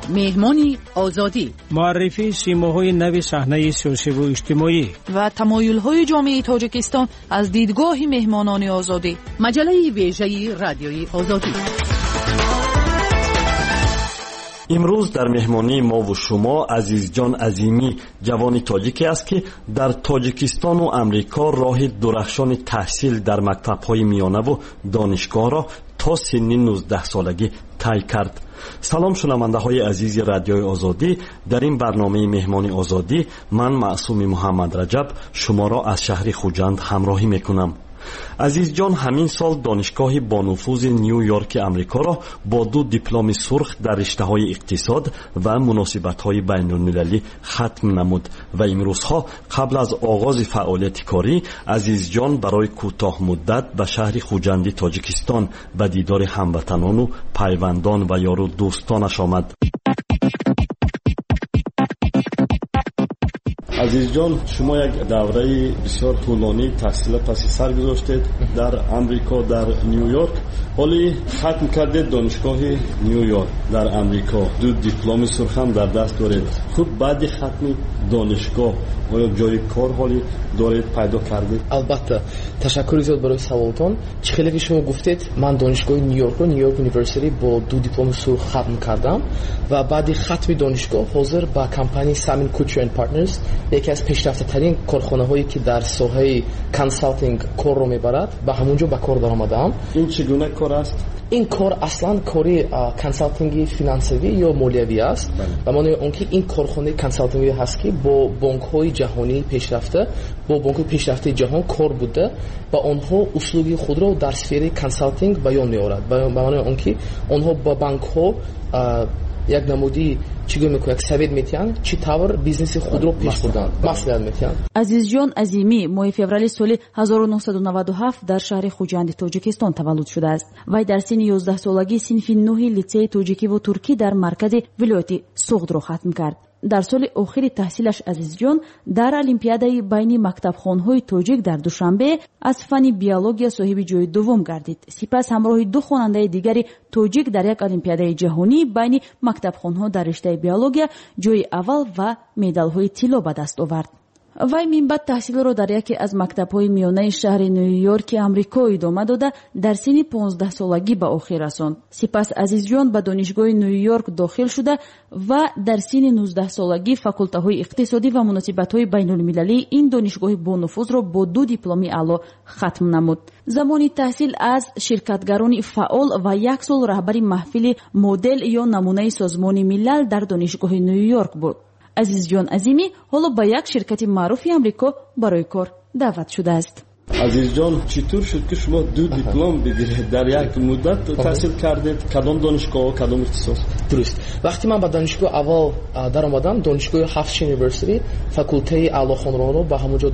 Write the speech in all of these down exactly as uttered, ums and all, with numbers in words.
Меҳмони Озодӣ. Муаррифии симоҳои нави саҳнаи сиёсиву иҷтимоӣ ва тамоюлҳои ҷомеаи Тоҷикистон аз дидгоҳи меҳмонони Озодӣ. Маҷаллаи вежаи Радиои Озодӣ. Имрӯз дар меҳмонии мову шумо Азизҷон Азимӣ, ҷавони тоҷике аст, ки дар Тоҷикистону Амрико роҳи дурахшони таҳсил дар мактабҳои миёнаву донишгоҳро то синни нуздаҳсолагӣ тай кард. Салом, шунавандаҳои азизи Радиои Озодӣ. Дар ин барномаи Меҳмони Озодӣ ман Маъсуми Муҳаммадраҷаб шуморо аз шаҳри Хуҷанд ҳамроҳӣ мекунам. Азизҷон ҳамин сол донишгоҳи бонуфузи Ню-Йорки Амрикоро бо ду дипломи сурх дар риштаҳои иқтисод ва муносибатҳои байнулмилалӣ хатм намуд ва имрӯзҳо қабл аз оғози фаъолияти корӣ Азизҷон барои кӯтоҳмуддат ба шаҳри Хуҷанди Тоҷикистон ба дидори ҳамватанону пайвандон ва ёру дӯстонаш омад. Азизҷон, шумо як давраи бисёр тӯлонии таҳсила паси сар гузоштед дар Амрико, дар Ню-Йорк. Ҳоли хатм кардед донишгоҳи Ню-Йорк дар Амрико, ду дипломи сурх ҳам дар даст доред. Хуб, баъди хатми донишгоҳ оё ҷои кор ҳоли доред, пайдо кардед? Албатта, ташаккури зиёд барои саволтон. Чӣ хеле ки шумо гуфтед, ман донишгоҳи Ню-Йоркро, Ню-Йорк University, бо ду дипломи сурх хатм кардам ва баъди хатми донишгоҳ ҳозир ба компанияи Simon Kucher and Partners, яке аз пешрафтатарин корхонаҳое ки дар соҳаи консалтинг корро мебарад, ба ҳамон ҷо ба кор даромадаам. Ин чӣ гуна кор аст? Ин кор аслан кори консалтинги финансавӣ ё молиявӣ аст. Ба маънои он ки ин корхонаи консалтингӣ ҳаст, ки бо бонкҳои ҷаҳонии пешрафта, бо бонкҳои пешрафтаи ҷаҳон кор буда ва онҳо услуги худро дар сфераи консалтинг баён меорад. Ба маънои он ки онҳо ба банкҳо як намуди чӣ гӯем, як совет метиҳанд, чӣ тавр бизнеси худро пеш бурдан, маслиҳат метиҳанд. Азизҷон Азимӣ моҳи феврали соли ҳазору нӯҳсаду наваду ҳафт дар шаҳри Хуҷанди Тоҷикистон таваллуд шудааст. Вай дар синни ёздаҳсолагӣ синфи нӯҳи литсеи тоҷикиву туркӣ дар маркази вилояти Суғдро хатм кард. Дар соли охири таҳсилаш Азизҷон дар олимпиадаи байни мактабхонҳои тоҷик дар Душанбе аз фанни биология соҳиби ҷои дуввум гардид. Сипас ҳамроҳи ду хонандаи дигари тоҷик дар як олимпиадаи ҷаҳонӣ байни мактабхонҳо дар риштаи биология ҷои аввал ва медалҳои тилло ба даст овард. Вай минбаъд таҳсилро дар яке аз мактабҳои миёнаи шаҳри Ню-Йорки Амрико идома дода, дар синни понздаҳсолагӣ ба охир расонд. Сипас Азизҷон ба донишгоҳи Ню-Йорк дохил шуда ва дар синни нуздаҳсолагӣ факултаҳои иқтисодӣ ва муносибатҳои байнулмилалии ин донишгоҳи бонуфузро бо ду дипломи аъло хатм намуд. Замони таҳсил аз ширкатгарони фаъол ва як сол раҳбари маҳфили модел ё намунаи Созмони Милал дар донишгоҳи Ню-Йорк буд. Азизҷон Азимӣ ҳоло ба як ширкати маъруфи Амрико барои кор даъват шудааст. Азизҷон, чӣ тур шуд ки шумо ду диплом бигиред дар як муддат таҳсил кардед? Кадом донишгоҳ, кадом ихтисос? Дуруст. Вақте ман ба донишгоҳ аввал даромадам, донишгоҳи Ҳафтши University, факултаи аълохонроро ба ҳамон ҷо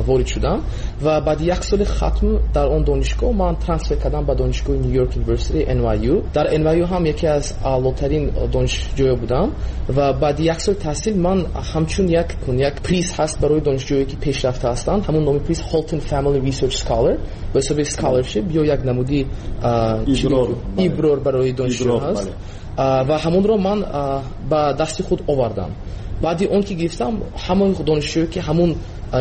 ворид шудам ва баъди як соли хатм дар он донишгоҳ ман трансфер кардам ба донишгоҳи New York University, Н Y U. Дар Н Y U ҳам яке аз аълотарин донишҷӯё будам ва баъди як сол таҳсил ман ҳамчун як, як приз ҳаст барои донишҷӯе ки пешрафта ҳастанд, ҳамон номи приз Holton Family Research Scholar, ба ҳисоби scholarship ё як намуди иброр барои донишҷӯ ҳаст ва ҳамонро ман ба дасти худ овардам. Баъди он ки гирифтам, ҳамаи донишҷӯе ки ҳамон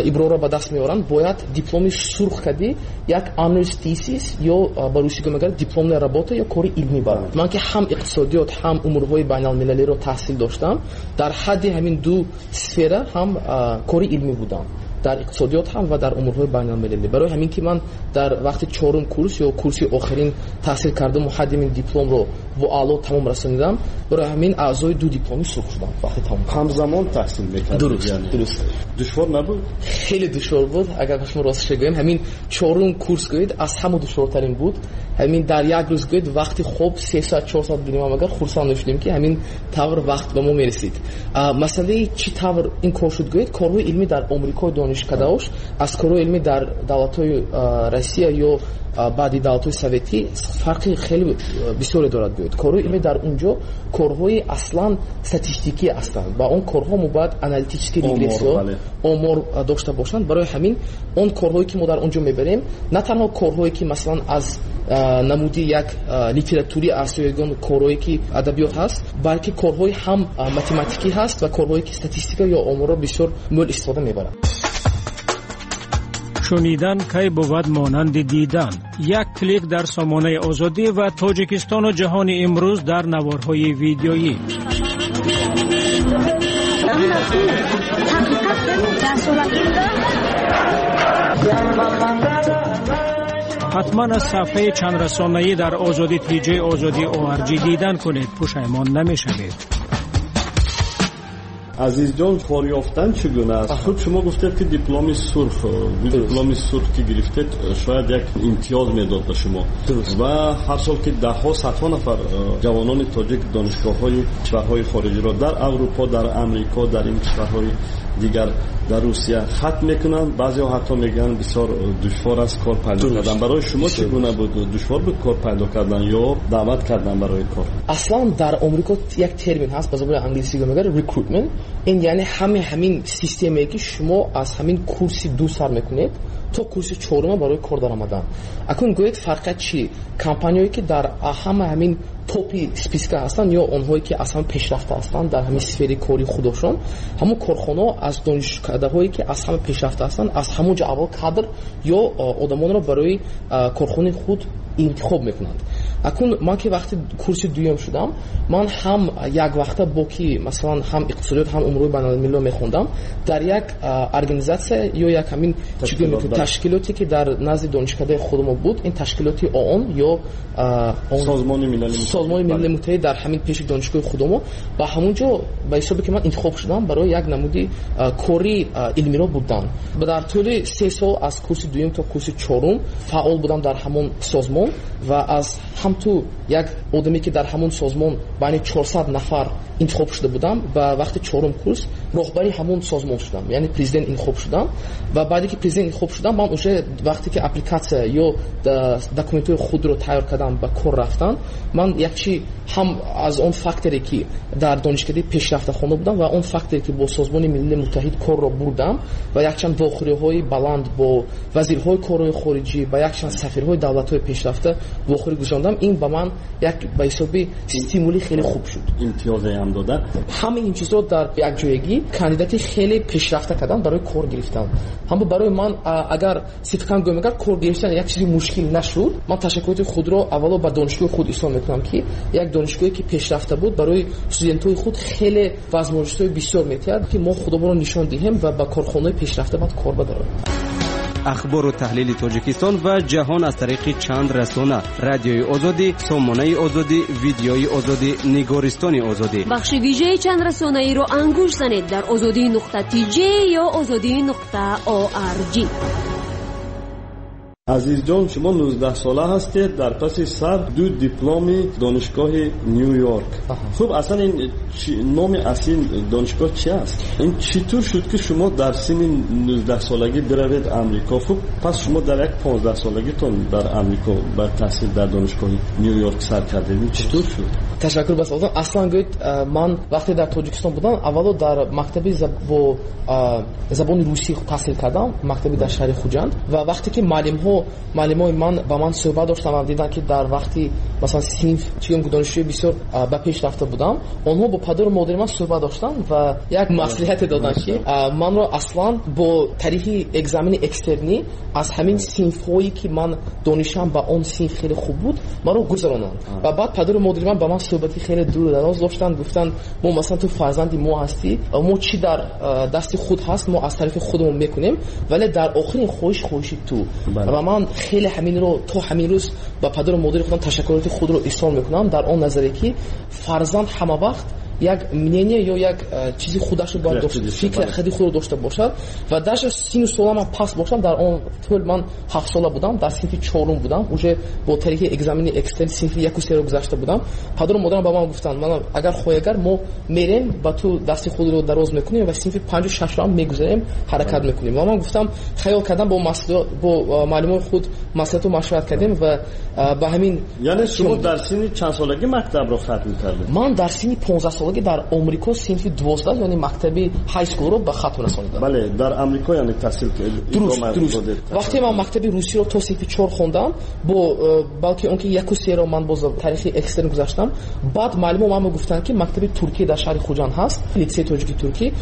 иброрро ба даст меоранд, бояд дипломи сурх кардӣ як honors thesis ё ба русӣ мегӯянд дипломная работа ё кори илмӣ баранд. Ман ки ҳам иқтисодиёт ҳам умурҳои байналмилалиро таҳсил доштам, дар ҳадди ҳамин ду сфера ҳам кори илмӣ будам, дар иқтисодиёт ҳам ва дар умурҳои байналмилалӣ. Барои ҳамин ки ман дар вақти чорум курс ё курси охирин таҳсил кардам ва ҳадди ин дипломро бо аъло тамом расонидам, барои ҳамин аъзои ду дипломи сурх шудам вақти тамом. Ҳамзамон таҳсил мекардед? Дуруст, дуруст. Душвор набуд? Хеле душвор буд. Агар ба шумо росташ гӯям, ҳамин чорум курс гӯед аз ҳама душвортарин буд. Ҳамин дар як рӯз гӯед вақти хоб се соат чор соат бинем, агар хурсанд мешудем ки ҳамин тавр вақт ба мо мерасид. Масъалаи чӣ тавр ин кор шуд гӯед, корҳои илмӣ дар Амрико донишгоҳ донишкадаош аз корҳои илмӣ дар давлатҳои Россия ё баъди давлатҳои советӣ фарқи хеле бисёре дорад. Гӯяд, корҳои илмӣ дар он ҷо корҳои аслан статистикӣ ҳастанд ва он корҳо мо бояд аналитический регрессия, омор дошта бошанд. Барои ҳамин он корҳое ки мо дар он ҷо мебарем, на танҳо корҳое ки масалан аз намуди як литератури аст ё ягон корҳое ки адабиёт ҳаст, балки корҳои ҳам математикӣ ҳаст ва корҳое ки статистика ё оморро бисёр мӯл истифода мебаранд. Шунидан кай бувад монанди дидан. Як клик дар сомонаи Озодӣ ва Тоҷикистону ҷаҳони имрӯз дар наворҳои видеоӣ. Ҳатман аз сафҳаи чандрасонаӣ дар Озодӣ тиҷи Озодӣ о ар ҷи дидан кунед, пушаймон намешавед. Азизҷон, кор ёфтан чӣ гуна аст? Худ шумо гуфтед, ки дипломи сурх, дипломи сурх ки гирифтед, шояд як имтиёз медод ба шумо ва ҳар сол ки даҳҳо, садҳо нафар ҷавонони тоҷик донишгоҳҳои кишварҳои хориҷиро дар Аврупо, дар Амрико, дар ин кишварҳои дигар, дар Русия хатм мекунанд, баъзеҳо ҳатто мегӯянд, бисёр душвор аст кор пайдо кардан. Барои шумо чӣ гуна буд? Душвор буд кор пайдо кардан ё даъват кардан барои кор? Аслан дар Омрико як термин ҳаст, ба забони англисӣ мегӯянд recruitment. Ин яъне ҳамаи ҳамин системае ки шумо аз ҳамин курси ду сар мекунед то курси чорума барои кор даромадан. Акнун гӯед, фарқият чӣ? Компанияое ки дар ҳама ҳамин топи списка ҳастанд ё онҳое ки аз ҳама пешрафта ҳастанд дар ҳамин сфери кори худошон, ҳамон корхонаҳо аз донишкадаҳое ки аз ҳама пешрафта ҳастанд, аз ҳамон ҷо аввал кадр ё одамонро барои корхонаи худ интихоб мекунанд. Акнун ман ки вақти курси дуюм шудам, ман ҳам як вақта бо ки масалан ҳам иқтисодиёт, ҳам умури байналмилалиро мехондам, дар як организатсия ё як ҳамин ташкилоте ки дар назди донишкадаи худмо буд, ин ташкилоти ООН ё Созмони Милали Муттаҳид дар ҳамин пеши донишгоҳи худомо, ба ҳамон ҷо ба ҳисобе ки ман интихоб шудам барои як намуди кори илмиро будан. Дар тӯли се сол аз курси дуюм то курси чорум фаъол будам дар ҳамон созмон ва аз ҳамту як одаме ки дар ҳамон созмон байни чорсад нафар интихоб шуда будам, ба вақти чорум курс роҳбари ҳамон созмон шудам, яъне президент интихоб шудам. Ва баъде ки президент интихоб шудам, ман уже вақте ки аппликатсия ё документҳои худро тайёр кардам ба кор рафтан, ман якчи ҳам аз он факторе ки дар донишкадаи пешрафта хонда будам ва он факторе ки бо Созмони Милали Муттаҳид корро бурдам ва якчанд вохӯриҳои баланд бо вазирҳои корҳои хориҷӣ ва якчанд сафирҳои давлатҳои пешрафта вохӯрӣ гузарондам, ин ба ман як ба ҳисоби стимули хеле хуб шуд. Имтиёзе ҳам дода. Ҳамаи ин чизҳо дар якҷоягӣ кандидати хеле пешрафта кардан барои кор гирифтан. Ҳама барои ман, агар сидқан гӯям, агар кор гирифтан як чизи мушкил нашуд, ман ташаккуроти худро аввало ба донишгоҳи худ изҳор мекунам, ки як донишгоҳе ки пешрафта буд, барои студентҳои худ хеле возможностҳои бисёр метиҳад, ки мо худамонро нишон диҳем ва ба корхонаҳои пешрафта баъд кор бадарем. Ахбору таҳлили Тоҷикистон ва ҷаҳон аз тариқи чанд расона: Радиои Озодӣ, Сомонаи Озодӣ, Видеои Озодӣ, Нигористони Озодӣ. Бахши вижаи чанд расонаиро ангуш занед дар озодӣ нуқта тж ё озодӣ нуқта орг. Азизҷон, шумо нуздаҳсола ҳастед, дар паси сар ду дипломи донишгоҳи Ню Йорк. Хуб, аслан ин номи асли донишгоҳ чи аст? Ин чӣ тур шуд, ки шумо дар синни нуздаҳсолагӣ биравед Амрико? Хуб, пас шумо дар як понздаҳсолагитон дар Амрико ба таҳсил дар донишгоҳи Ню Йорк сар кардед. Ин чӣ тур шуд? Ташаккур ба саволтон. Аслан гӯед, ман вақте дар Тоҷикистон будам, аввало дар мактаби бо забони русӣ таҳсил кардам, мактаби дар шаҳри Хуҷанд, ва вақте ки муаллимҳо муаллимои ман ба ман суҳбат доштанд ва диданд, ки дар вақти масалан синф чигум донишҷӯи бисёр ба пеш рафта будам, онҳо бо падару модари ман суҳбат доштанд ва як маслиҳате доданд, ки манро аслан бо тариқи экзамени экстернӣ аз ҳамин синфҳое ки ман донишам ба он синф хеле хуб буд, маро гузаронанд. Ва баъд падару модари ман ба ман суҳбати хеле дуру дароз доштанд, гуфтанд: мо масалан ту фарзанди мо ҳастӣ, мо чӣ дар дасти худ ҳаст, мо аз тарафи худамон мекунем, вале дар охирин хоҳиш хоҳиши ту. Ва ман хеле ҳаминро то ҳамин рӯз ба падару модари худам ташаккуроти худро изҳор мекунам дар он назаре, ки фарзанд ҳама вақт як мнение ё як чизи худашро бояд дошта, фикри худи худро дошта бошад. Ва даже сину солам пас бошам, дар он тӯл ман ҳафт сола будам, дар синфи чорум будам, уже бо тариқи экзамени экстерн синфи яку серо гузашта будам. Падару модарам ба ман гуфтанд, ман агар хоҳӣ, агар мо мерем ба ту дасти худро дароз мекунем ва синфи панҷу шашро ҳам мегузарем, ҳаракат мекунем. Ва ман гуфтам, хаёл кардам, бо масъулият, бо муаллимони худ маслиҳату машварат кардем ва ба ҳамин. Яъне шумо дар синни чанд солагӣ мактабро хатм кардед? Ман дар синни понздаҳ солагӣ дар Амрико синфи дувоздаҳ, яъне мактаби high school ро ба хатм расонидам. Бале, дар Амрико яъне таҳсил кардед. Дуруст, дуруст. Вақте ман мактаби русиро то синфи чор хондам, бо балки он ки яку серо ман боз таърихи экстерн гузаштам, баъд муаллимо ман гуфтанд, ки мактаби туркӣ дар шаҳри Хуҷанд ҳаст, литсеи тоҷики туркӣ.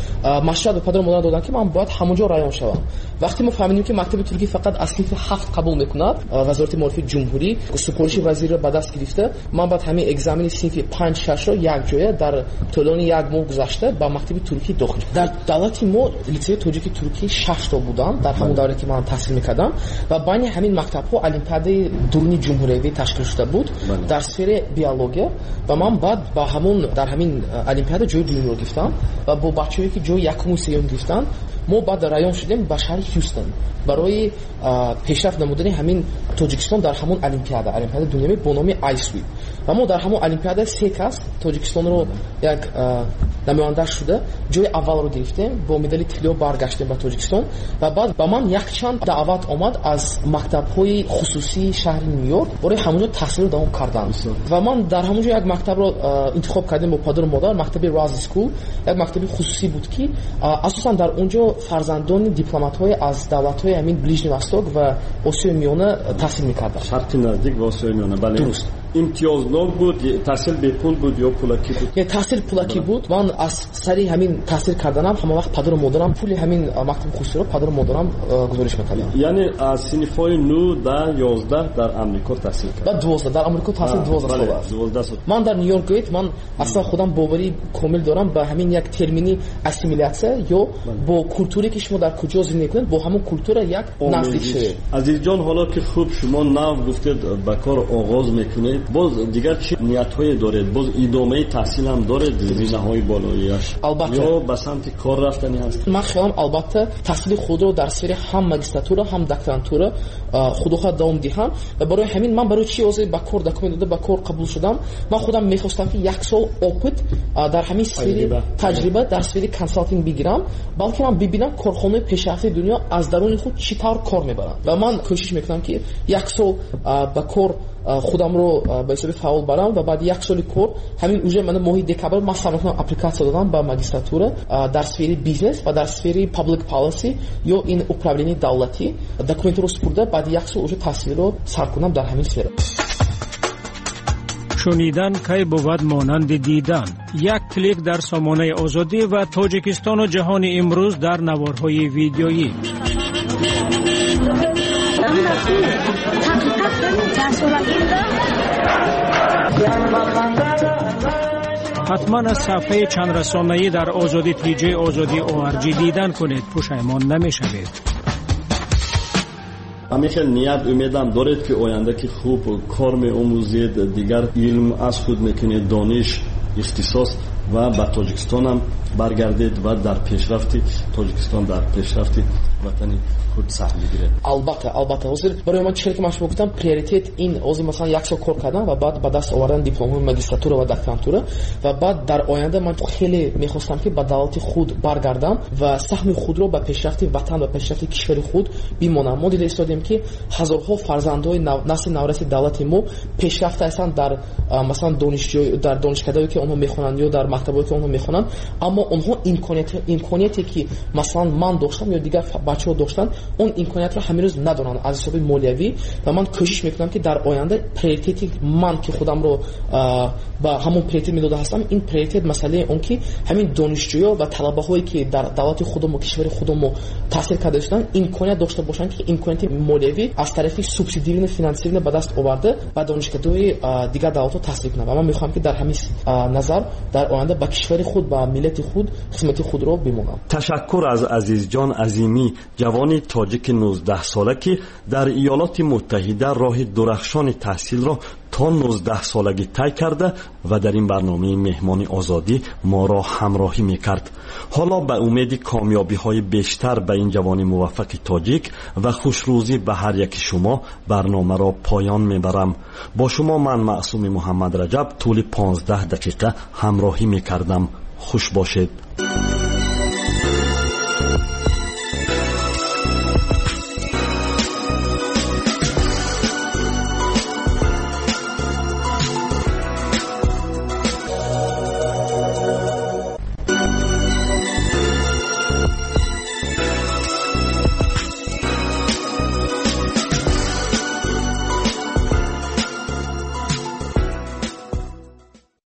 Машварат ба падару модарам доданд, ки ман бояд ҳамонҷо раён шавам. Вақте мо фаҳмидем, ки мактаби туркӣ фақат аз синфи ҳафт қабул мекунад, вазорати маорифи ҷумҳурӣ супориши вазирро ба даст гирифта, ман баъд ҳамин экзамени синфи панҷ шашро якҷоя дар тӯлони як моҳ гузашта ба мактаби туркӣ дохил. Дар давлати мо литсеи тоҷики туркӣ шаш то буданд дар ҳамон давре, ки ман таҳсил мекардам, ва байни ҳамин мактабҳо олимпиадаи дуруни ҷумҳуриявӣ ташкил шуда буд дар сфераи биология, ва ман баъд ба ҳамон дар ҳамин олимпиада ҷои дуюмро гирифтам ва бо бачаҳое, ки ҷои якуму сеюм гирифтанд, мо баъд раён шудем ба шаҳри Ҳюстон барои пешрафт намудани ҳамин Тоҷикистон дар ҳамон олимпиада, олимпиадаи дунявӣ бо номи ISWE. Ва мо дар ҳамон олимпиада се кас Тоҷикистонро як намоянда шуда ҷои аввалро гирифтем, бо медали тилло баргаштем ба Тоҷикистон. Ва баъд ба ман якчанд даъват омад аз мактабҳои хусусии шаҳри Нью-Йорк барои ҳамонҷо таҳсилро давом кардан. Ва ман дар ҳамонҷо як мактабро интихоб кардем бо падару модар, мактаби Razi School, як мактаби хусусӣ буд, ки асосан дар онҷо фарзандони дипломатҳои аз давлатҳои ҳамин Ближний Восток ва Осиёи Миёна таҳсил мекарданд. Шарқи Наздик ва Осиёи Миёна, бале. Дуруст. Имтиёзнок буд, таҳсил бепул буд ё пулакӣ буд? Не, таҳсил пулакӣ буд. Ман аз сари ҳамин таҳсил карданам ҳама вақт падару модарам пули ҳамин мактаби хусусиро падару модарам гузориш мекарданд. Яъне аз синфҳои нӯҳ, даҳ, ёздаҳ дар Амрико таҳсил кард? Баъд дувоздаҳ, дар Амрико таҳсил дувоздаҳ сол аст. Дувоздаҳ сол. Ман дар Нью-Йорк гӯед, ман аслан худам боварӣ комил дорам ба ҳамин як термини ассимилятсия ё бо культуре, ки шумо дар куҷо зиндагӣ кунед, бо ҳамон культура як наздик шавед. Азизҷон, ҳоло ки хуб шумо нав гуфтед ба кор оғоз мекунед, боз дигар чӣ ниятҳое доред? Боз идомаи таҳсил ҳам доред, зинаҳои болоияш? Албатта. Ё ба самти кор рафтанӣ ҳаст? Ман хаёлам, албатта, таҳсили худро дар сфери ҳам магистратура, ҳам докторантура худохоҳ давом диҳам. Ва барои ҳамин ман барои чӣ ҳозир ба кор документ дода ба кор қабул шудам? Ман худам мехостам, ки як сол опыт дар ҳамин сфери таҷриба дар сфери консалтинг бигирам, балки ман бибинам корхонаи пешрафтаи дунё аз даруни худ чӣ тавр кор мебаранд. Ва ман кӯшиш мекунам, ки як сол ба кор худамро ба ҳисоби фаъол барам ва баъд як соли кор ҳамин уже мана моҳи декабр ман сар мекунам аппликатсия додам ба магистратура дар сфери бизнес ва дар сфери public policy ё ин управленияи давлатӣ документро супурда, баъди як сол уже таҳсилро сар кунам дар ҳамин сфера. Шунидан кай бувад монанди дидан? Як клик дар сомонаи Озодӣ ва Тоҷикистону ҷаҳони имрӯз дар наворҳои видеоӣ. Ҳатман аз саҳфаи чандрасонаӣ дар Озодӣ тиҷи Озодӣ ORG дидан кунед, пушаймон намешавед. Ҳамин хел ният умедам доред, ки оянда ки хуб кор меомӯзед, дигар илм аз худ мекунед, дониш, ихтисос ва ба Тоҷикистонам баргардед ва дар пешрафти Тоҷикистон, дар пешрафти ватани худ саҳм бигиред? Албатта, албатта. Ҳозир барои ман чӣ хеле ки ман шумо гуфтам, приоритет ин ҳозир масалан як сол кор кардан ва баъд ба даст овардани дипломҳои магистратура ва докторантура, ва баъд дар оянда ман хеле мехостам, ки ба давлати худ баргардам ва саҳми худро ба пешрафти ватан ва пешрафти кишвари худ бимонам. Мо дида истодем, ки ҳазорҳо фарзандҳои насли навраси давлати мо пешрафта ҳастанд дар масалан донишҷӯ, дар донишкадаҳое, ки онҳо мехонанд ё дар мактабҳое, ки онҳо мехонанд, аммо онҳо имконияте, ки масалан ман доштам ё дигар бачаҳо доштанд, он имкониятро ҳамин рӯз надоранд аз ҳисоби молиявӣ. Ва ман кӯшиш мекунам, ки дар оянда приоритети ман, ки худамро ба ҳамон приоритет медода ҳастам, ин приоритет масъалаи он, ки ҳамин донишҷӯё ва талабаҳое, ки дар давлати худамо, кишвари худамо таҳсил карда шуданд, имконият дошта бошанд, ки имконияти молиявӣ аз тарафи субсидированное финансирование ба даст оварда ба донишкадаҳои дигар давлатҳо таҳсил кунанд. Ва ман мехоҳам, ки дар ҳамин назар дар оянда ба кишвари худ, ба миллати худ хизмати худро бимонам. Ташаккур аз Азизҷон Азимӣ, ҷавони тоҷики нуздаҳсола, ки дар Иёлоти Муттаҳида роҳи дурахшони таҳсилро то нуздаҳ солагӣ тай карда ва дар ин барномаи меҳмони озодӣ моро ҳамроҳӣ мекард. Ҳоло ба умеди комёбиҳои бештар ба ин ҷавони муваффақи тоҷик ва хушрӯзӣ ба ҳар яки шумо барномаро поён мебарам. Бо шумо ман Маъсуми Муҳаммад Раҷаб тӯли понздаҳ дақиқа ҳамроҳӣ мекардам. Хуш бошед.